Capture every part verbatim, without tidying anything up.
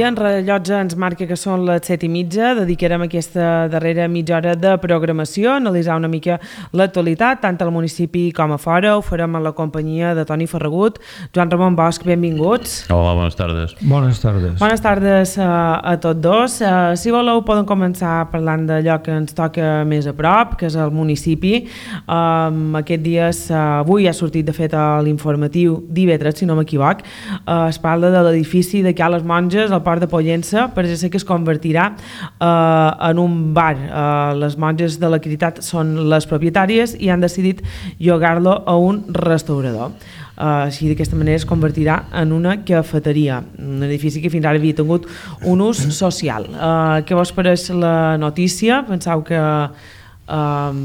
en rellotge ens marca que són les set i mitja. Dedicarem aquesta darrera mitja hora de programació, analitzar una mica l'actualitat, tant al municipi com a fora. Ho farem a la companyia de Toni Ferragut. Joan Ramon Bosch, benvinguts. Hola, bones tardes. Bones tardes. Bones tardes a, a tots dos. Uh, si voleu, poden començar parlant d'allò que ens toca més a prop, que és el municipi. Um, aquest dies, uh, avui ha sortit de fet a l'informatiu divendres, si no m'equivoc. Uh, es parla de l'edifici de Ca les Monges, al Port de Pollença, per ser que es convertirà eh, en un bar. Eh, les monges de la Caritat són les propietàries i han decidit llogar-lo a un restaurador. Uh, així d'aquesta manera es convertirà en una cafeteria, un edifici que fins ara havia tingut un ús social. Uh, què vos pareix la notícia? Penseu que uh,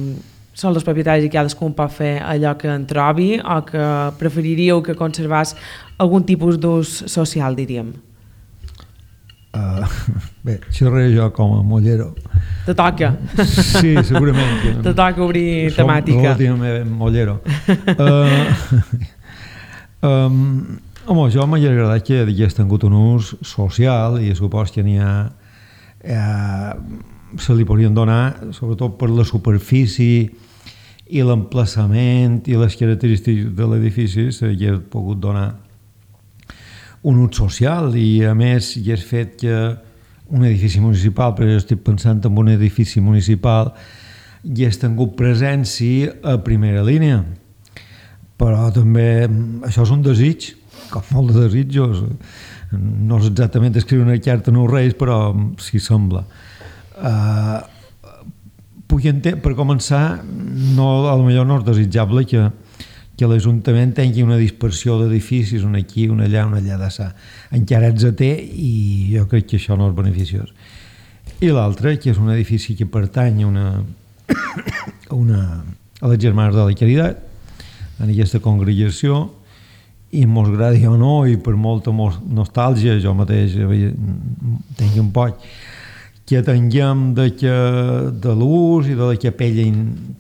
són els propietaris i cadascun pot fer allò que en trobi, o que preferiríeu que conservés algun tipus d'ús social, diríem? Uh, bé, xerraré jo com a mollero. Te toca. Sí, segurament. Te toca obrir Som temàtica. relativament mollero. Uh, um, home, jo m'hauria agradat que hagués tingut un ús social i supos que n'hi ha eh, se li podrien donar, sobretot per la superfície i l'emplaçament i les característiques de l'edifici, s'hauria pogut donar un ús social i a més hi és fet que un edifici municipal, però jo estic pensant en un edifici municipal, hi has tingut presència a primera línia, però també això és un desig, com molt de desitjos, no és exactament escriure una carta als Reis, però s'hi sembla. Uh, puc entendre, per començar, no, a lo millor no és desitjable que que l'Ajuntament tingui una dispersió d'edificis, un aquí, un allà, un allà d'assà. Encara ets a té i jo crec que això no és beneficiós. I l'altre, que és un edifici que pertany a una, a, una, a les Germanes de la Caritat, en aquesta congregació, i mos agradi o no, i per molta nostàlgia, jo mateix tinc un poc, que tinguem de, que, de l'ús i de la capella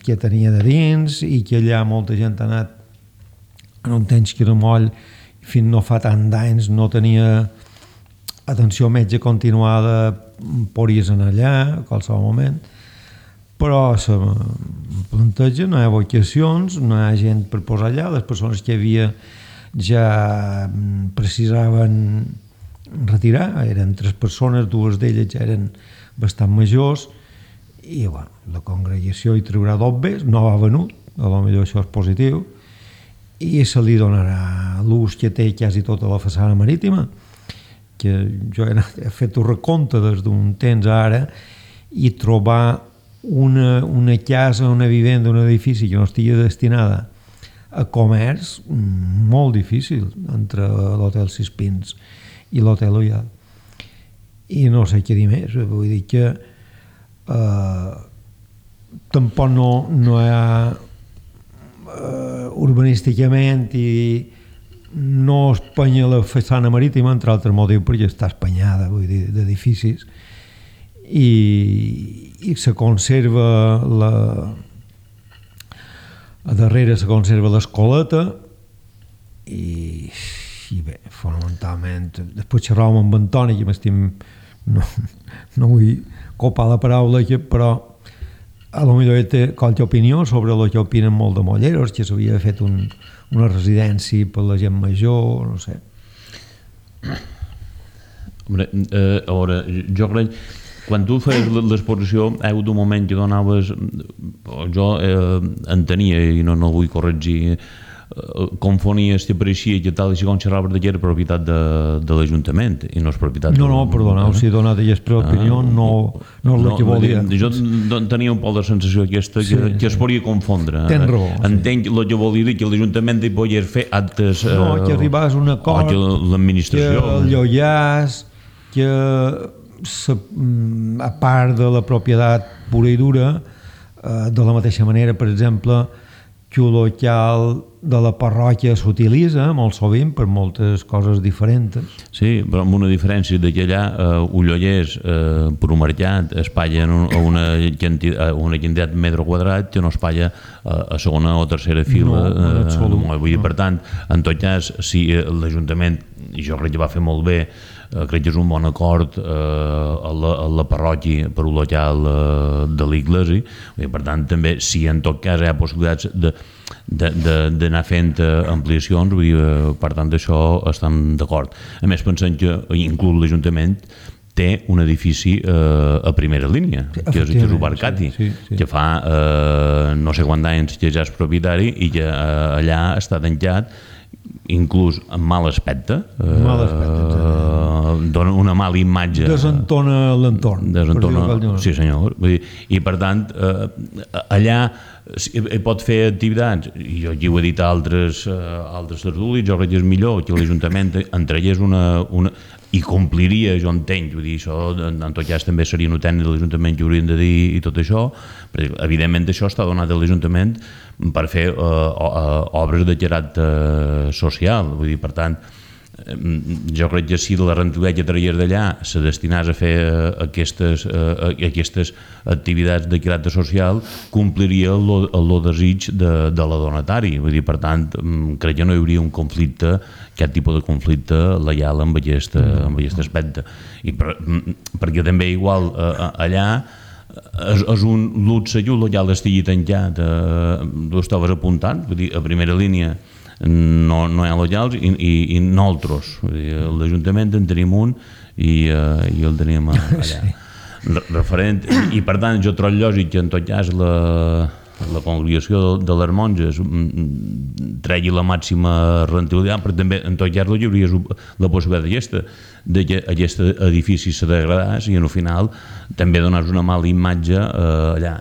que tenia de dins i que allà molta gent ha anat en un temps que era moll, fins no fa tant d'anys no tenia atenció metge continuada, podries anar allà a qualsevol moment, però se plantegen, no hi ha vocacions, no hi ha gent per posar allà, les persones que hi havia ja precisaven retirar, eren tres persones, dues d'elles ja eren bastant majors i bueno, la congregació hi traurà dobbes, no ha venut, a lo millor això és positiu, i se li donarà l'ús que té quasi tota la façana marítima, que jo he, anat, he fet un recompte des d'un temps a ara i trobar una, una casa, una vivenda, un edifici que no estigui destinada a comerç, molt difícil entre l'Hotel Sis Pins i l'Hotel Ollal. I no sé què dir més, vull dir que eh, tampoc no, no hi ha Uh, urbanísticament i no espanya la façana marítima, entre altres motius perquè està espanyada, vull dir, d'edificis i, i se conserva la a darrere se conserva l'escoleta i, i bé, fonamentalment després xerràvem amb Antoni que m'estim no, no vull copar la paraula que, però a lo millor té qualque opinió sobre el que opinen molt de molleros, que s'havia fet un, una residència per la gent major, no sé. Hombre, eh, a veure, jo crec, quan tu feies l'exposició, hi ha hagut un moment que donaves, jo eh, entenia, i no, no vull corregir, eh, confonies, que pareixia que tal i si com xerraves que era propietat de, de l'Ajuntament i no és propietat... No, no, perdoneu, si he donat aquesta opinió, no, no és el que volia. Jo tenia un poc de sensació aquesta que, sí, que es podria confondre. Tens raó. Entenc sí. El que volia dir que l'Ajuntament hi podia fer actes... No, que arribàs a un acord, que l'administració... Que el llollàs, que a part de la propietat pura i dura, de la mateixa manera, per exemple, que el local de la parròquia s'utilitza molt sovint per moltes coses diferents. Sí, però amb una diferència de que allà eh, Ullollers, eh, per un mercat, es palla a una, quantitat, una quantitat de metre quadrat que no es palla a segona o tercera fila. No, eh, vull dir, per tant, en tot cas, si l'Ajuntament, i jo crec que va fer molt bé, eh, crec que és un bon acord eh, a, la, a la parròquia per local eh, de l'Iglesi, per tant també si en tot cas hi ha possibilitats de d'anar fent ampliacions, vull dir, per tant d'això estem d'acord. A més pensem que inclús l'Ajuntament té un edifici eh, a primera línia, sí, que és, és Ubarcati, sí, sí, sí. que fa eh, no sé quants anys que ja és propietari i que eh, allà està tancat, inclús en mal aspecte, eh, mal aspecte eh, dona una mala imatge, desentona l'entorn, desentona, sí senyor, vull dir, i per tant eh, allà hi pot fer activitats, i jo aquí ho he dit a altres, uh, altres tertulis, jo crec que és millor que l'Ajuntament entregués una, una i compliria, jo entenc, vull dir, això en tot cas també seria un tècnic de l'Ajuntament que haurien de dir i tot això, perquè evidentment això està donat a l'Ajuntament per fer uh, uh, obres de caràcter social, vull dir, per tant jo crec que si la rendibilitat que tragués d'allà se destinés a fer aquestes, aquestes activitats de caràcter social, compliria el desig de, de la donatari. Vull dir, per tant, crec que no hi hauria un conflicte, aquest tipus de conflicte leial amb aquest, amb aquest aspecte. I per, perquè també igual allà és, és un luxe que el local estigui tancat, eh, tu estaves apuntant, vull dir, a primera línia no, no hi ha locals i, i, i nosaltres, l'Ajuntament en tenim un i, uh, i el tenim allà. Sí. Referent, i, i per tant jo trobo lògic que en tot cas la, la congregació de, de les monges tregui la màxima rendibilitat, però també en tot cas hi hauria la possibilitat d'aquesta, de que aquest edifici se degradés i al final també donàs una mala imatge eh, allà.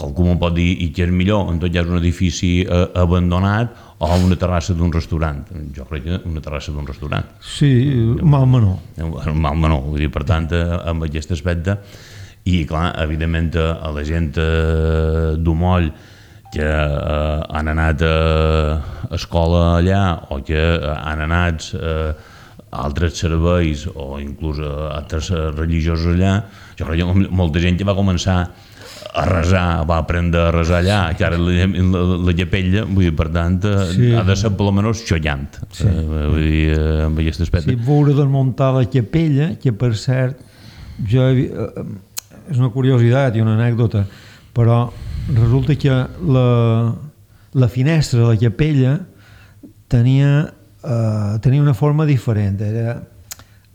Qualcú m'ho pot dir, i que és millor en tot cas un edifici eh, abandonat o una terrassa d'un restaurant. Jo crec que una terrassa d'un restaurant. Sí, mal menor. Mal menor, vull dir, per tant, amb aquest aspecte, i clar, evidentment a la gent d'Umoll que eh, han anat a escola allà o que han anat eh, a altres serveis o inclús a altres religiosos allà, jo crec que molta gent que va començar a resar, va aprendre a resar allà, que ara la, la, la capella, vull dir, per tant, sí. ha de ser per almenys xollant, sí. eh, vull dir, eh, amb aquest aspecte. Sí, veure desmuntar la capella, que per cert, jo he, eh, és una curiositat i una anècdota, però resulta que la, la finestra de la capella tenia, eh, tenia una forma diferent, era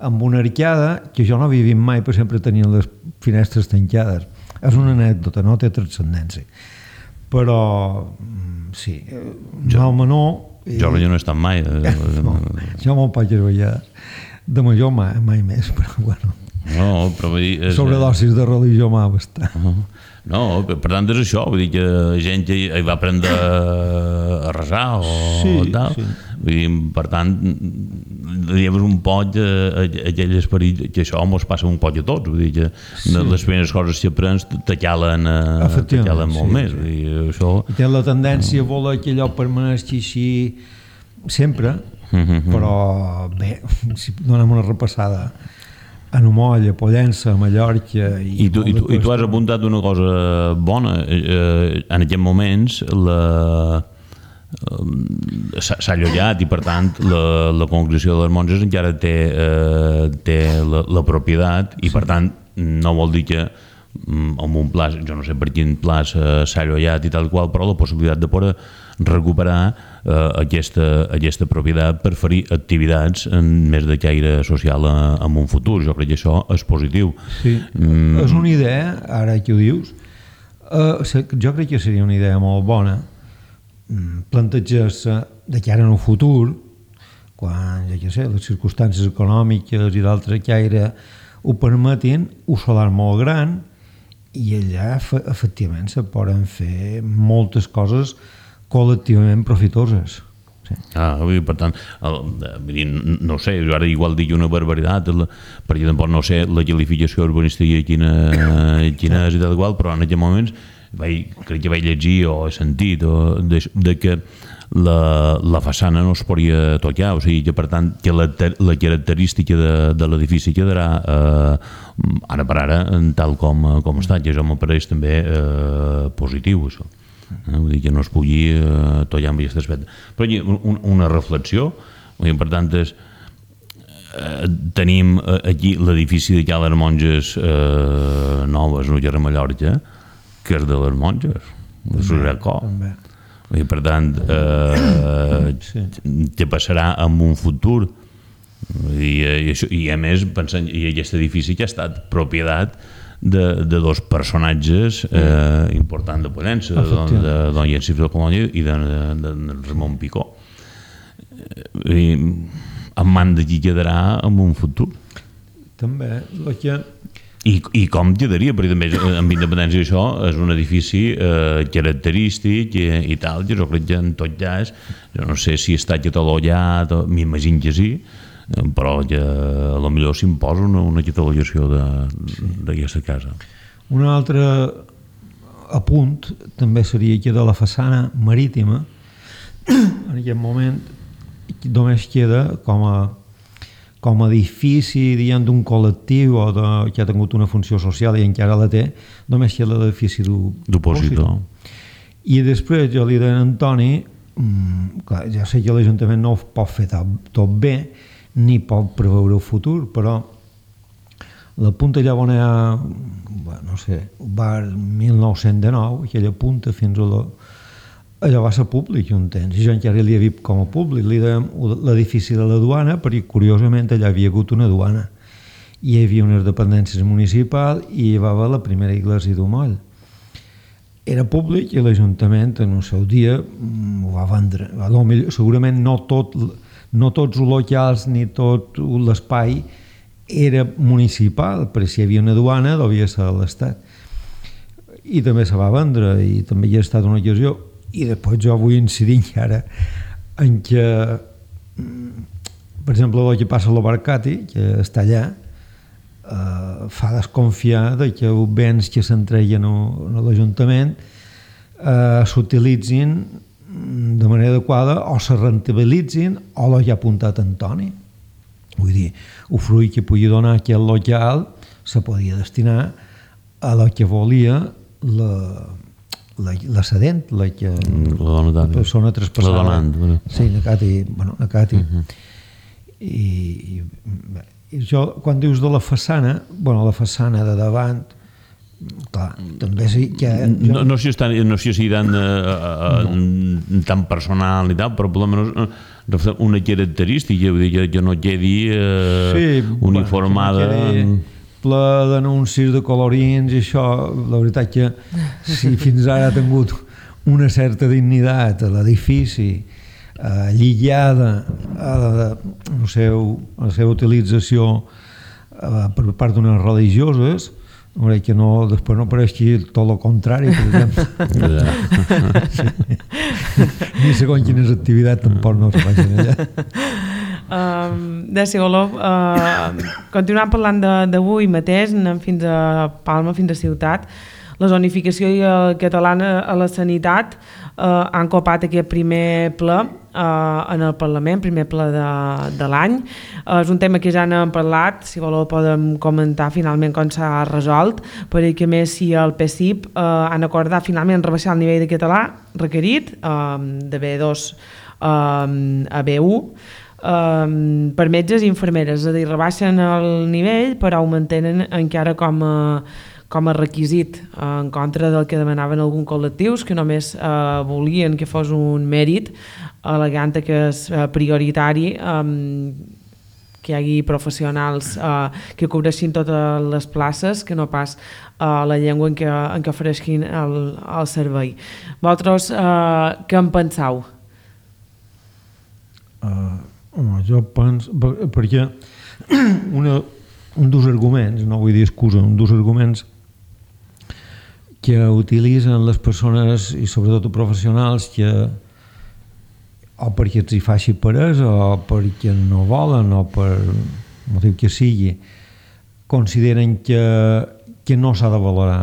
amb una arcada, que jo no havia vist mai, per sempre tenien les finestres tancades. És una anècdota, no té transcendència. Però, sí, mal menor... Jo no he estat mai. No, jo me'n vaig veure de major mai, mai més, però bueno. No, però vull dir... És... Sobredosis de religió m'ha bastat. Uh-huh. No, per tant és això, vull dir que gent hi va aprendre a resar o sí, tal. Sí. Vull dir, per tant, diguem un poc aquell esperit que això mos passa un poc a tots, vull dir que sí. Les primeres coses que aprens te calen, te calen molt sí, més. Vull dir, això... I té la tendència a voler que allò permaneixi així sempre, uh-huh. Però bé, si donem una repassada a Umoll, a Pollença, a Mallorca... I, I, tu, i, tu, i tu has apuntat una cosa bona. Eh, en aquests moments la, eh, s'ha allotjat i per tant la, la congregació de les monges encara té, eh, té la, la propietat i per tant no vol dir que amb un pla, jo no sé per quin pla s'ha allotjat i tal qual, però la possibilitat de poder recuperar eh, aquesta, aquesta propietat per fer activitats en més de caire social en un futur. Jo crec que això és positiu. Sí, mm. És una idea, ara que ho dius, eh, jo crec que seria una idea molt bona plantejar-se de cara en un futur, quan, ja que sé, les circumstàncies econòmiques i d'altre caire ho permetin, un solar molt gran, i allà efectivament se poden fer moltes coses col·lectivament profitoses. Sí. Ah, per tant, el, no sé, ara igual dic una barbaritat, perquè tampoc no sé la qualificació urbanística quina, quina és i tal qual, però en aquests moments vaig, crec que vaig llegir o he sentit o de, de que la, la façana no es podria tocar, o sigui que per tant que la, la característica de, de l'edifici quedarà eh, ara per ara tal com, com està, que això m'apareix també eh, positiu, això. Eh, vull dir que no es pugui eh, tocar amb aquest aspecte. Però un, una reflexió, per tant, és, eh, tenim aquí l'edifici de les monges eh, noves, no a Mallorca, que és de les monges, de Suracó. I per tant, eh, sí. Què passarà en un futur? I, i, això, i a més, pensant, i aquest edifici que ha estat propietat de, de dos personatges eh, importants de Pollença, de, de don Jensif de Colònia i de, de, de Ramon Picó. I en man de qui quedarà en un futur. També, el que... I, i com quedaria, perquè també amb independència això és un edifici eh, característic i, i tal, jo crec que en tot cas, jo no sé si està catalogat, m'imagino que sí, però que a lo millor s'imposa una, una catalogació d'aquesta casa. Un altre apunt també seria que de la façana marítima, en aquest moment només queda com a com a edifici d'un col·lectiu o de, que ha tingut una funció social i encara la té, només queda l'edifici d'opositor. I després jo li deia a Antoni, mmm, clar, ja sé que l'Ajuntament no ho pot fer tot, tot bé, ni pot preveure el futur, però la punta allà on hi ha, bueno, no sé, va mil nou-cents dinou, aquella punta fins a la... allò va ser públic un temps, i jo encara l'hi he vist com a públic, li dèiem l'edifici de la duana, perquè curiosament allà havia hagut una duana, i hi havia unes dependències municipals i hi va haver la primera iglesia d'Umoll. Era públic i l'Ajuntament en el seu dia ho va vendre. Segurament no, tot, no tots els locals ni tot l'espai era municipal, però si hi havia una duana devia ser de l'Estat. I també se va vendre i també hi ha estat una ocasió. I després jo vull incidir ara en que, per exemple, el que passa a l'Obarcati, que està allà, eh, fa desconfiar de que els béns que s'entreguen a l'Ajuntament eh, s'utilitzin de manera adequada o se rentabilitzin o el que ha apuntat Antoni. Vull dir, el fruit que pugui donar aquest local se podia destinar a el que volia la... La, la cedent, la que la, la persona traspassada. La donant. Bueno. Sí, Nakati. Bueno, Nakati. Uh -huh. I, i jo, quan dius de la façana, bueno, la façana de davant, clar, també sí que... Jo... No, no sé si, no sé si tan, uh, no. tan personal i tal, però per almenys una característica, vull dir, que, que no quedi uh, sí, uniformada... Bueno, que no quedi... ple d'anuncis de colorins i això, la veritat que si fins ara ha tingut una certa dignitat a l'edifici, eh, lligada a la, no sé, a la seva utilització eh, per part d'unes religioses, que no, després no pareixi tot el contrari, per exemple. Sí. Ni segons quines activitats tampoc no es facin allà. Uh, de si voleu uh, continuar parlant d'avui mateix, anem fins a Palma, fins a Ciutat. La zonificació i el catalana a la sanitat uh, han copat aquest primer ple uh, en el Parlament, primer ple de, de l'any. Uh, és un tema que ja n'hem parlat, si voleu podem comentar finalment com s'ha resolt, perquè més si el P S I P uh, han acordat finalment rebaixar el nivell de català requerit uh, de B dos uh, a B u, Um, per metges i infermeres, és a dir, rebaixen el nivell però ho mantenen encara com a, com a requisit, uh, en contra del que demanaven alguns col·lectius que només uh, volien que fos un mèrit, al·legant que és uh, prioritari um, que hi hagi professionals uh, que cobreixin totes les places, que no pas uh, la llengua en què, en què ofereixin el, el servei. Vosaltres uh, què en penseu? Uh... Home, jo penso, perquè una, un dels arguments, no vull dir excusa, un dels arguments que utilitzen les persones i sobretot els professionals que o perquè els hi faci peresa o perquè no volen o per motiu que sigui consideren que, que no s'ha de valorar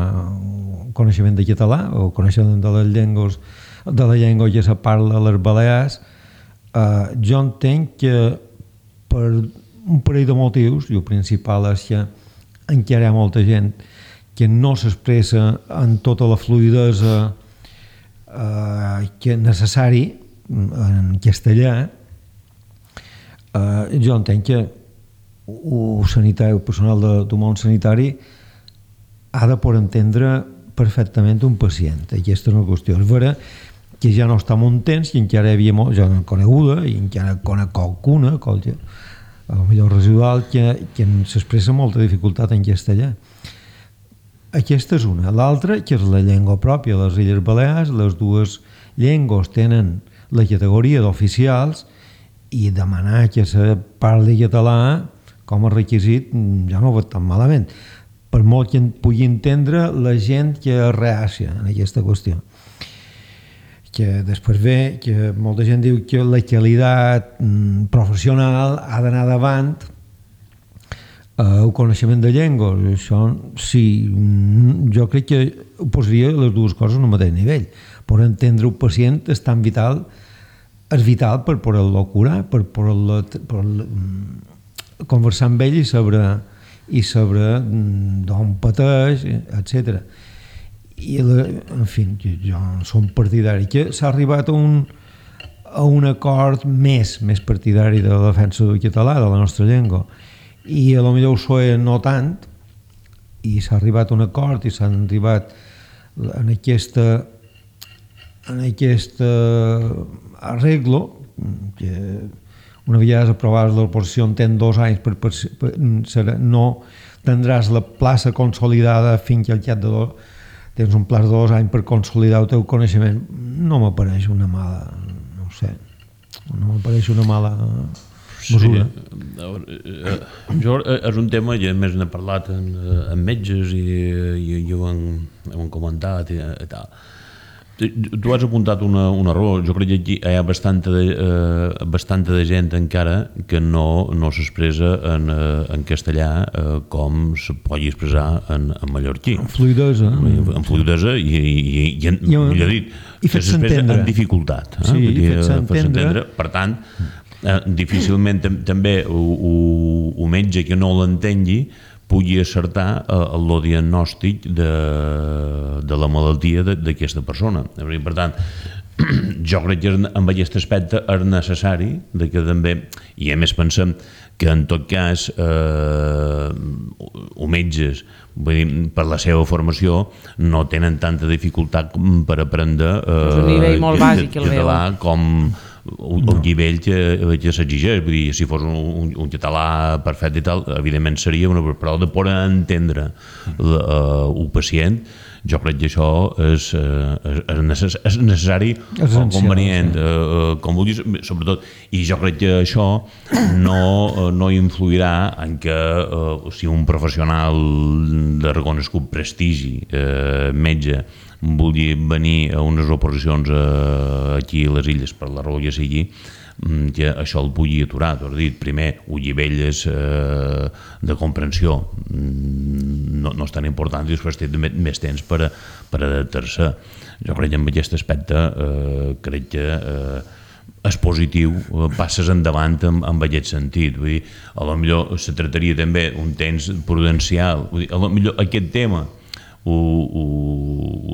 coneixement de català o coneixement de les llengües de la llengua que se parla a les Balears. Uh, jo entenc que per un parell de motius, i el principal és que encara hi ha molta gent que no s'expressa en tota la fluidesa uh, que és necessari en castellà, uh, jo entenc que el sanitari, el personal de, del món sanitari ha de poder entendre perfectament un pacient. Aquesta és una qüestió. És vera que ja no està molt temps i encara hi havia molt, ja no coneguda i encara conec qualcuna, qualque, a lo millor residual, que, que s'expressa molta dificultat en castellà. Aquesta és una. L'altra, que és la llengua pròpia de les Illes Balears, les dues llengües tenen la categoria d'oficials i demanar que se parli català com a requisit ja no ho veig tan malament, per molt que pugui entendre la gent que és reàcia en aquesta qüestió. Que després ve que molta gent diu que la qualitat professional ha d'anar davant el coneixement de llengües. Això sí, jo crec que ho posaria les dues coses en el mateix nivell. Per entendre un pacient és tan vital, és vital per poder-lo curar, per poder-lo conversar amb ell i saber, i saber d'on pateix, etcètera. I, la, en fi, jo som partidari que s'ha arribat a un, a un acord més, més partidari de la defensa del català, de la nostra llengua, i a lo millor ho soe no tant, i s'ha arribat a un acord i s'han arribat en aquesta en aquest arreglo que una vegada aprovades l'oposició en dos anys per, per, per, serà, no tindràs la plaça consolidada fins que al cap de dos tens un plaç de dos anys per consolidar el teu coneixement. No m'apareix una mala, no ho sé, no m'apareix una mala mesura. Sí, jo és un tema que més n'he parlat amb metges i, i, i ho han, ho han comentat i, i tal. Tu has apuntat una, una raó. Jo crec que aquí hi ha bastanta de, eh, bastanta de gent encara que no, no s'expressa en, en castellà eh, com se pugui expressar en, en mallorquí. En fluidesa. En fluidesa i, i, i en, I millor dit, i que s'expressa en dificultat. Eh? Sí, i fet s'entendre. Per tant, eh, difícilment també un metge que no l'entengui pugui acertar el diagnòstic de, de la malaltia d'aquesta persona. Per tant, jo crec que en aquest aspecte és necessari de que també, i a més pensem que en tot cas eh, o metges vull dir, per la seva formació no tenen tanta dificultat per aprendre eh, és un nivell molt bàsic el català com un no. nivell que, que s'exigeix. Vull dir, si fos un, un, un català perfecte i tal, evidentment seria una però de poder entendre la, uh, un pacient. Jo crec que això és, uh, és, necess és necessari o convenient, sí. uh, com vulguis, sobretot, i jo crec que això no, uh, no influirà en que uh, si un professional de reconegut prestigi, uh, metge, vulgui venir a unes oposicions eh, aquí a les illes per la raó que sigui, que això el pugui aturar. T'ho has dit, primer, un nivell eh, de comprensió no, no és tan important i després té més temps per, per adaptar-se. Jo crec que en aquest aspecte eh, crec que eh, és positiu, passes endavant en, en aquest sentit. Vull dir, a lo millor se tractaria també un temps prudencial. Vull dir, a lo millor aquest tema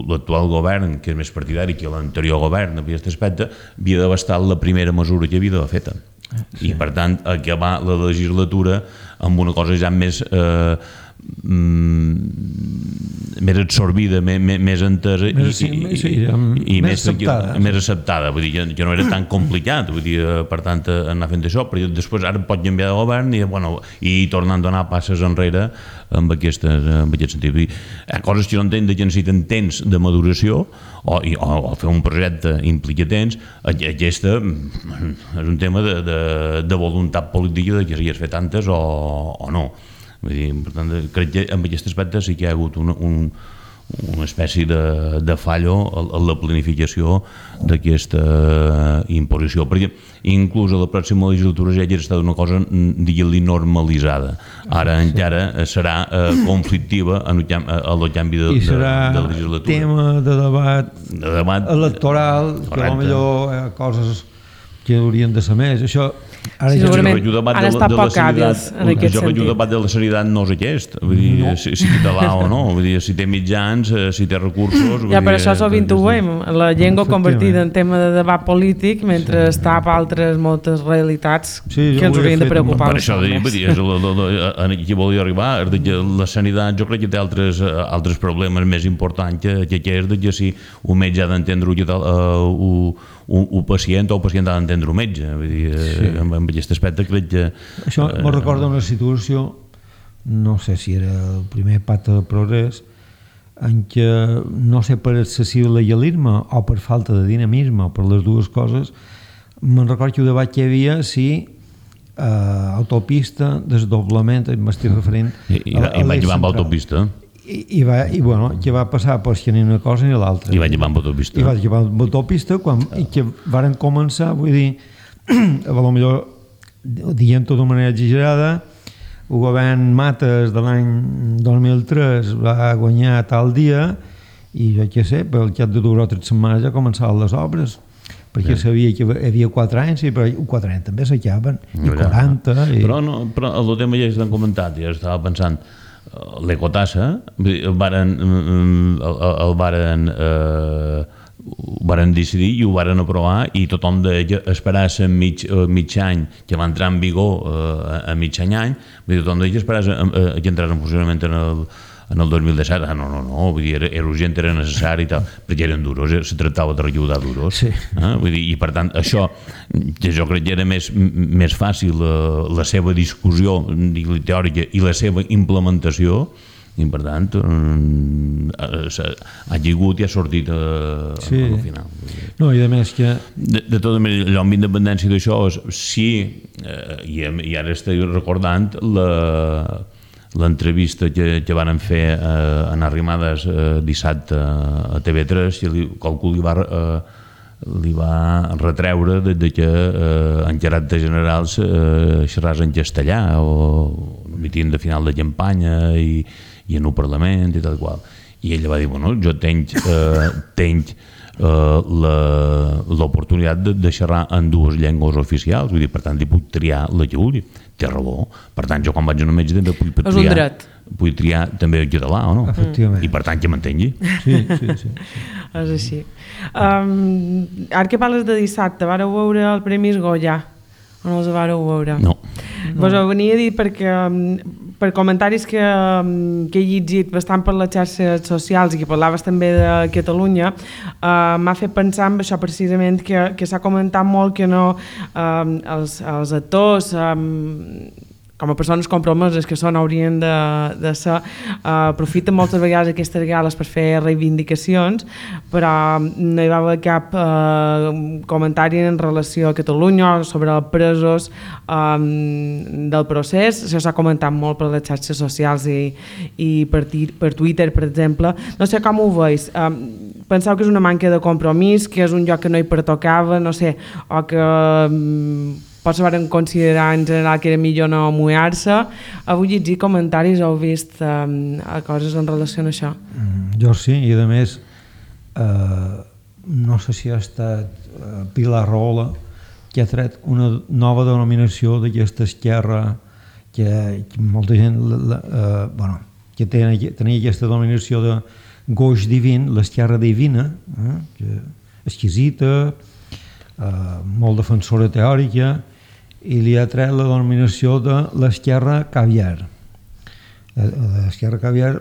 l'actual govern, que és més partidari que l'anterior govern en aquest aspecte, havia d'haver estat la primera mesura que havia d'haver feta. Sí. I per tant acabar la legislatura amb una cosa ja més eh, més absorbida, més, més entesa i, sí, i, sí, i més, més acceptada, que, més acceptada. Vull dir, que, que no era tan complicat, vull dir, per tant anar fent això, però després ara pot canviar de govern i, bueno, i tornant a donar passes enrere amb, aquestes, amb aquest sentit. Vull dir, hi ha coses que no entenc que necessiten temps de maduració o, i, o, o fer un projecte implica temps. Aquesta és un tema de, de, de voluntat política de que s'hi has fet tantes o, o no. Vull dir, per tant, crec que en aquest aspecte sí que hi ha hagut un, un, una espècie de, de fallo en la planificació d'aquesta imposició, perquè inclús a la pròxima legislatura ja hauria estat una cosa, digue-li, normalitzada. Ara sí. encara serà eh, conflictiva en el, a el canvi de, de, de legislatura. I serà tema de debat, de debat electoral, correcte. Que potser hi ha coses que haurien de ser més. Això, ara Sí, ja... segurament Jo han estat poc hàbils en aquest jo que sentit. el debat de la seritat no és aquest, vull dir, No. si, si català o no, vull dir, si té mitjans, eh, si té recursos... vull Ja, per dir, això sovint ho veiem, la llengua Efectivament. convertida en tema de debat polític mentre sí. està per altres moltes realitats Sí, jo que ens ho hauria haurien de fet preocupar. Per això, vull dir, és la, la, la, aquí volia arribar, és de que la sanitat jo crec que té altres, eh, altres problemes més importants que, que, que és de que si un metge ha d'entendre uh, un, un, un pacient o el pacient ha d'entendre un metge. Vull dir, sí. en, en aquest aspecte crec que... Això eh, me recorda una situació, no sé si era el primer pacte de progrés, en què, no sé per excessiu legalisme o per falta de dinamisme o per les dues coses, me'n recordo que el debat que hi havia si eh, autopista, desdoblament, m'estic referint... I, i, a, i vaig llevar amb autopista. I, i, va, i bueno, que va passar pues, que ni una cosa ni l'altra. I vaig llevar amb autopista. I vaig llevar amb autopista quan, i que varen començar, vull dir, a lo millor dient-ho d'una manera exagerada, el govern Mates de l'any dos mil tres va guanyar tal dia i jo què sé, pel cap de dues o tres setmanes ja començaven les obres perquè sí. Sabia que hi havia quatre anys i però quatre anys també s'acaben i quaranta i... Però, no, però el tema ja s'han comentat, ja estava pensant l'ecotassa el varen el, el varen eh, ho varen decidir i ho varen aprovar i tothom deia esperar-se mig, mig any que va entrar en vigor eh, a mig any any, vull dir, tothom deia esperar-se eh, que entrés en funcionament en el, en el dos mil disset, ah, no, no, no, vull dir, era, era urgent, era necessari i tal, perquè eren duros, se tractava de recaudar duros, sí. eh? Vull dir, i per tant això, que jo crec que era més, més fàcil la, la seva discussió teòrica i la seva implementació, i per tant ha lligut i ha sortit a, sí. al final. No, i a més que... De, de tota manera, allò amb independència d'això, sí, eh, i, i ara estic recordant la l'entrevista que, que van fer eh, en Arrimadas eh, dissabte a T V tres i li, qualcú li va, eh, li va retreure de, de que eh, en caràcter general eh, xerràs en castellà o mitin de final de campanya i, i en un Parlament i tal qual. I ella va dir, bueno, jo tenc, eh, tenc eh, l'oportunitat de, de xerrar en dues llengües oficials, vull dir, per tant, li puc triar la que vulgui. Té raó. Per tant, jo quan vaig a un metge també puc triar, és un dret. Puc triar també el català, o no? Efectivament. I per tant, que m'entengui. Sí, sí, sí. És així. Um, ara que parles de dissabte, vareu veure el Premis Goya? O no els vareu veure? No. No. Vos ho venia a dir perquè per comentaris que, que he llegit bastant per les xarxes socials i que parlaves també de Catalunya, uh, m'ha fet pensar en això precisament que, que s'ha comentat molt que no uh, els, els actors um, com a persones compromeses que són haurien de, de ser, uh, aprofiten moltes vegades aquestes gales per fer reivindicacions, però no hi va haver cap uh, comentari en relació a Catalunya sobre els presos um, del procés. Això s'ha comentat molt per les xarxes socials i, i per, per Twitter, per exemple. No sé com ho veus. Um, penseu que és una manca de compromís, que és un lloc que no hi pertocava, no sé, o que... Um, potser van considerar en general que era millor no mullar-se. Heu llegit comentaris, heu vist um, coses en relació a això? Mm, jo sí, i a més eh, no sé si ha estat eh, Pilar Rahola que ha tret una nova denominació d'aquesta esquerra que, que molta gent la, la, eh, bueno, que tenia, tenia aquesta denominació de goix divin, l'esquerra divina, eh, que exquisita, eh, molt defensora teòrica, i li ha tret la denominació de l'esquerra caviar. L'esquerra caviar,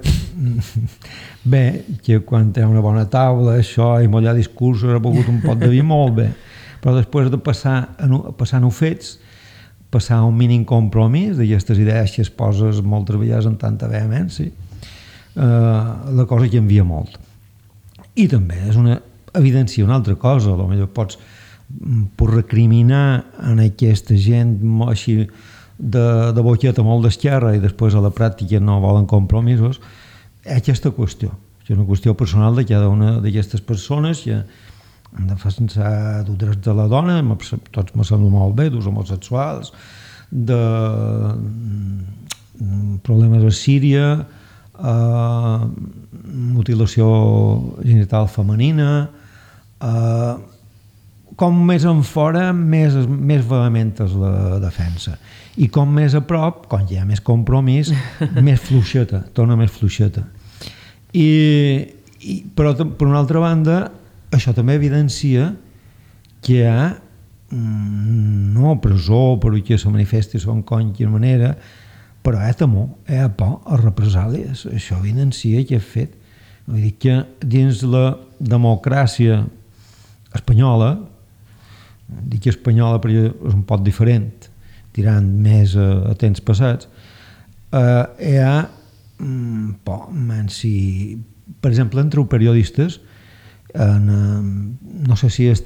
bé, que quan té una bona taula, això, i mullar discursos, ha begut un pot de vi molt bé, però després de passar a passar a fets, passar a un mínim compromís d'aquestes idees que es poses moltes vegades amb tanta vehemència, eh, la cosa canvia molt. I també és una evidència una altra cosa, potser pots per recriminar en aquesta gent així de, de boqueta molt d'esquerra i després a la pràctica no volen compromisos, aquesta qüestió, és una qüestió personal de cada una d'aquestes persones que han de defensar els drets de la dona, tots me sembla molt bé, dels homosexuals, de problemes a Síria, eh, mutilació genital femenina, eh, com més en fora, més, més vehement és la defensa. I com més a prop, quan hi ha més compromís, més fluixeta, torna més fluixeta. I, i, però, per una altra banda, això també evidencia que hi ha no presó, per que se manifesti en qualsevol manera, però hi ha temor, hi ha por a represàlies. Això evidencia que he fet. Vull dir que dins la democràcia espanyola, dic espanyola perquè és un poc diferent, tirant més a, a temps passats, eh, hi ha mm, por, man, si, per exemple, entre periodistes, en, no sé si és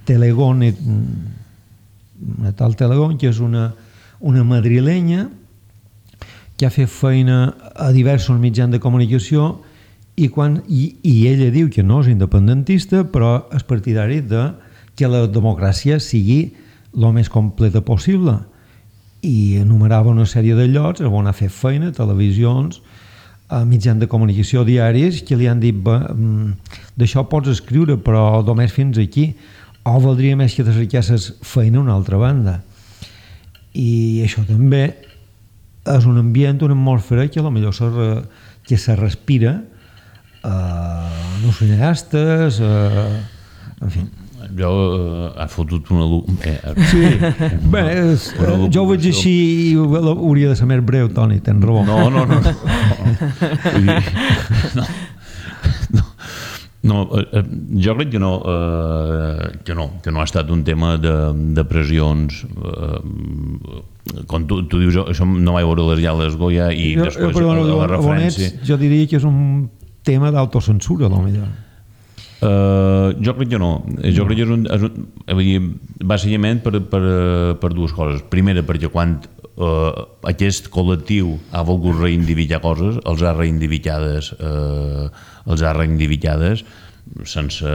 Telegón, una tal Telegón, que és una, una madrilenya que ha fet feina a diversos mitjans de comunicació i, quan, i, i ella diu que no és independentista, però és partidari de que la democràcia sigui el més completa possible, i enumerava una sèrie de llocs on ha fet feina, televisions, a mitjans de comunicació diaris, que li han dit d'això pots escriure però només fins aquí, o valdria més que te cercasses feina a una altra banda. I això també és un ambient, una atmosfera que potser se, que se respira eh, en els cineastes, eh, en fi. Jo eh, ha fotut una... Eh, sí, bé, és, eh, jo ho veig així i hauria de ser més breu, Toni, tens raó. No, no, no. No, no, no, no eh, jo crec que no, eh, que no, que no ha estat un tema de, de pressions. Eh, com tu, tu dius, això no vaig veure les Llales Goya i jo, després jo, perdona, la, la referència... Ets, jo diria que és un tema d'autocensura, potser. Uh, jo crec que no. Jo crec que és un, és un, dir, bàsicament per, per, per dues coses. Primera, perquè quan uh, aquest col·lectiu ha volgut reivindicar coses, els ha reivindicades, uh, els ha reivindicades sense,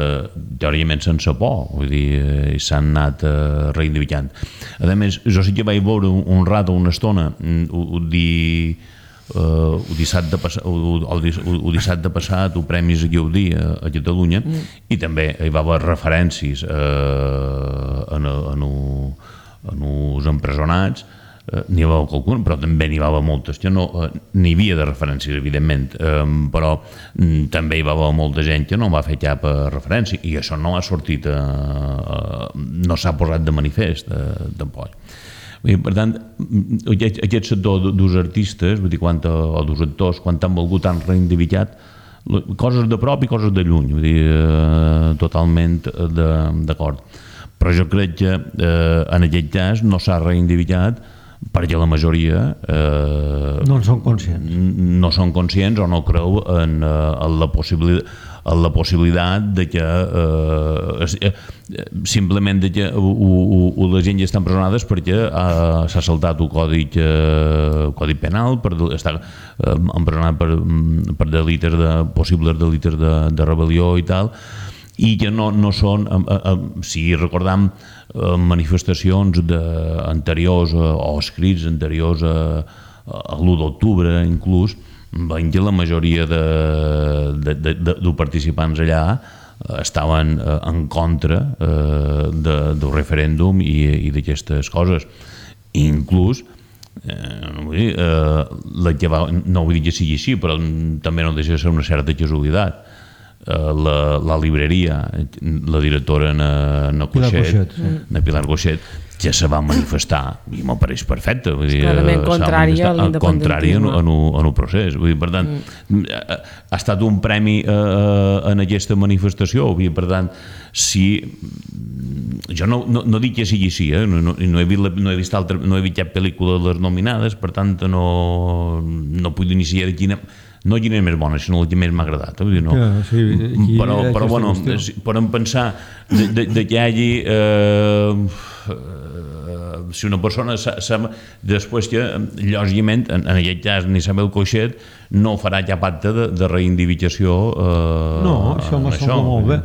teòricament sense por, vull dir, s'han anat uh, reivindicant. A més, jo sí que vaig veure un, un rato, una estona, ho, ho dir... Uh, el, dissabte passat, el, el, el dissabte passat el Premis Gaudí a, a Catalunya mm. i també hi va haver referències uh, en, en, en els empresonats, uh, n'hi va haver qualcun, però també n'hi va haver moltes que no, uh, n'hi havia de referències evidentment, um, però um, també hi va haver molta gent que no va fer cap referència i això no ha sortit uh, uh, no s'ha posat de manifest uh, tampoc. Per tant, aquest sector dels artistes, vull dir, quan, o dels actors, quan han volgut, han reivindicat coses de prop i coses de lluny, vull dir, eh, totalment d'acord. Però jo crec que eh, en aquest cas no s'ha reivindicat perquè la majoria eh, no en són conscients. No són conscients o no creu en, en la possibilitat la possibilitat de que eh, simplement de que u, u, u, la gent ja està empresonada perquè eh, s'ha saltat el codi, eh, codi penal, per estar eh, empresonat per, per delites de, possibles delites de, de rebel·lió i tal, i que no, no són, eh, eh, si recordam eh, manifestacions de, anteriors eh, o escrits anteriors a, a l'u d'octubre inclús, veiem que la majoria de, de, de, de, de participants allà estaven en contra eh, de, del referèndum i, i d'aquestes coses. Inclús, eh, no, vull dir, eh, la que va, no vull dir que sigui així, però també no deixa de ser una certa casualitat. Eh, la, la libreria, la directora na, na Coixet, na Pilar Coixet, ja se va manifestar i m'ho pareix perfecte, vull dir, clarament contrari a l'independentisme, en el procés, vull dir, per tant mm. ha estat un premi eh, en aquesta manifestació, vull dir, per tant si jo no, no, no dic que sigui així, eh? no, no, no, he vist, no he vist altra, no he vist cap pel·lícula de les nominades, per tant no, no puc iniciar de quina no quina és més bona, sinó la que més m'ha agradat. Vull dir, no. Ja, sí, aquí, però, però bueno, podem pensar de, de, de que hi hagi eh, eh, si una persona sa, sa, després que, lògicament, en, en aquest cas Isabel Coixet no farà cap acte de, de reivindicació eh, no, això me sembla molt bé.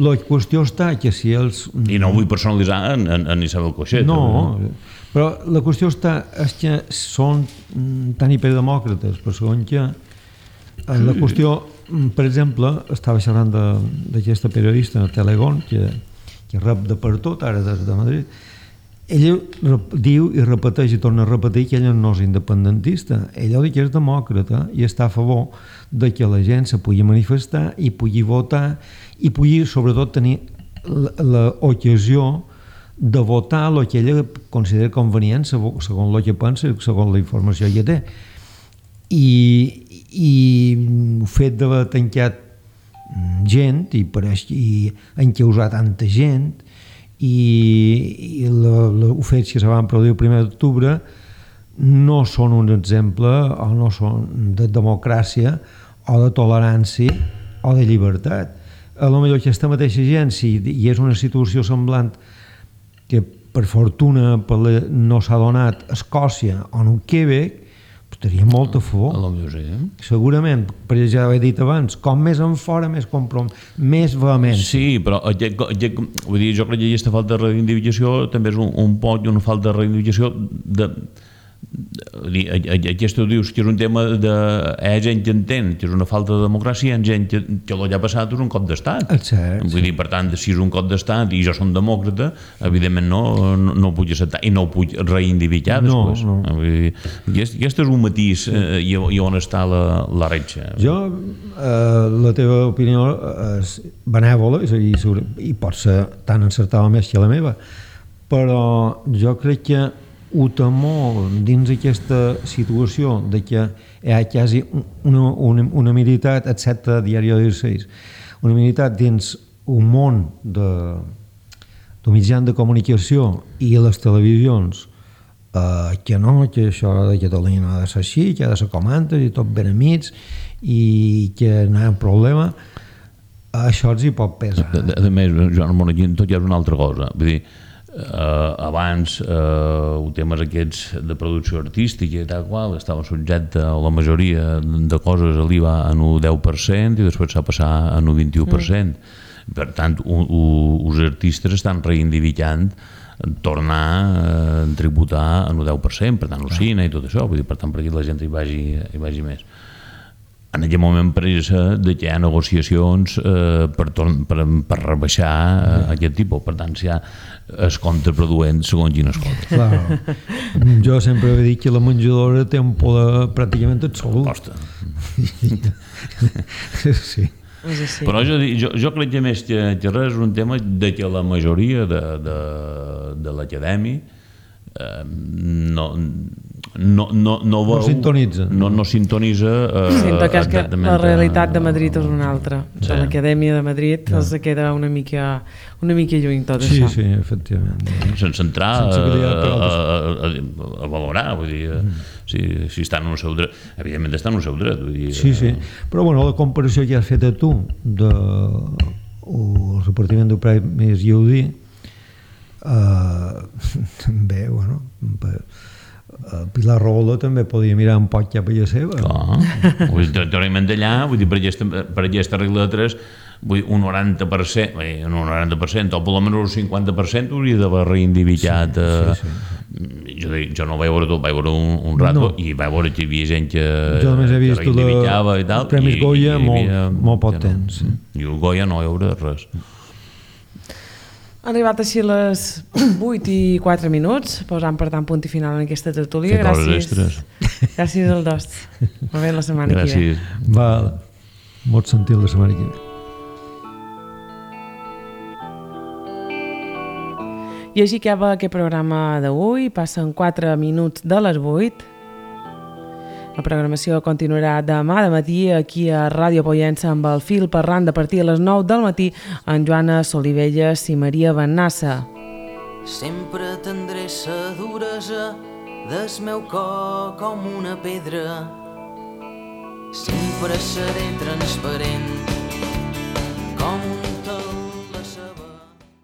La qüestió està que si els... I no ho vull personalitzar en, en, en Isabel Coixet. No, eh? Però la qüestió està és que són tan hiperdemòcrates, per segon que la qüestió, per exemple, estava xerrant d'aquesta periodista, Telegón, que, que rep de per tot, ara des de Madrid, ell diu i repeteix i torna a repetir que ell no és independentista, ell diu que és demòcrata i està a favor de que la gent se pugui manifestar i pugui votar i pugui sobretot tenir l'ocasió de votar el que ella considera convenient segons el que pensa i segons la informació que té. I, i el fet d'haver tancat gent i, i encausar tanta gent i, i els fets que se van produir el primer d'octubre no són un exemple o no són de democràcia o de tolerància o de llibertat. A lo millor aquesta mateixa gent, si hi és una situació semblant que per fortuna no s'ha donat a Escòcia o en Quebec, estaria molt a favor. A lo millor sí, eh? Segurament, perquè ja ho he dit abans, com més en fora, més comprom, més vehement. Sí, però vull dir, jo crec que aquesta falta de reivindicació també és un, un poc una falta de reivindicació de... Aquest ho dius que és un tema de... hi ha gent que entén que és una falta de democràcia, hi ha gent que, que el que ha passat és un cop d'estat. Cert, vull dir, per tant, si és un cop d'estat i jo som demòcrata, evidentment no, no, no ho puc acceptar i no ho puc reivindicar després. No, no. Vull dir, aquest, aquest és un matís eh, i, i on està la, la retxa. Jo, eh, la teva opinió és benèvola i, i pot ser tan encertada més que la meva, però jo crec que ho temor dins aquesta situació de que hi ha quasi una, una, una militat, excepte Diari disset, una militat dins un món de, de mitjans de comunicació i les televisions eh, que no, que això de Catalunya no ha de ser així, que ha de ser com antes i tot ben amics i que no hi ha problema, això els hi pot pesar. A, a més, Joan Ramon, aquí tot ja és una altra cosa. Vull dir, Uh, abans uh, temes aquests de producció artística i tal qual estava subjecte a la majoria de coses a l'I V A en un deu per cent i després s'ha passat en un vint-i-u per cent. Mm. Per tant, els artistes estan reivindicant tornar a tributar en un deu per cent, per tant, el cine i tot això, vull dir, per tant, perquè la gent hi vagi, hi vagi més. En aquest moment pressa de que hi ha negociacions eh, per, per, per rebaixar eh, aquest tipus. Per tant, si hi ha es contraproduent segons quines coses. Claro. Jo sempre he dit que la menjadora té un poder pràcticament absolut. Costa. Sí. Però jo, jo, jo crec que més que, que res és un tema de que la majoria de, de, de l'acadèmia eh, no, no, no, no, veu, no sintonitza. No, no sintonitza eh, Sento que, és que la realitat de Madrid és una altra. Sí. De l'Acadèmia de Madrid ja. Els queda una mica, una mica lluny tot sí, això. Sí, sí, efectivament. Sense entrar Sense a, a, a, a valorar, vull dir, mm. si, si estan en el seu dret, evidentment estan en el seu dret. Vull dir, sí, sí, però bueno, la comparació que has fet a tu de el repartiment de premis Gaudí uh, també, bueno, per, Uh, Pilar Rahola també podia mirar un poc cap a la seva. Clar, teòricament d'allà, vull dir, per aquesta, per aquesta regla de tres, vull dir, un noranta per cent, bé, un noranta per cent, o per almenys un cinquanta per cent hauria d'haver reivindicat. Sí, sí, sí. Jo, jo no vaig veure tot, vaig veure un, un rato no. I vaig veure que hi havia gent que, jo només he vist que reivindicava la, i tal. El Premi Goya i, molt, havia, molt poc temps. No, I el Goya no hi haurà res. Han arribat així les vuit i quatre minuts, posant per tant punt i final en aquesta tertúlia. Gràcies. Gràcies al dos. Molt bé, la setmana Gràcies. que ve. Val, molt sentit la setmana que ve. I així acaba aquest programa d'avui. Passen quatre minuts de les vuit. La programació continuarà demà de matí aquí a Ràdio Pollença amb el fil parlant de partir a les nou del matí amb Joana Solivelles i Maria Bennassa. Sempre tindré sa duresa del meu cor com una pedra. Sempre seré transparent com un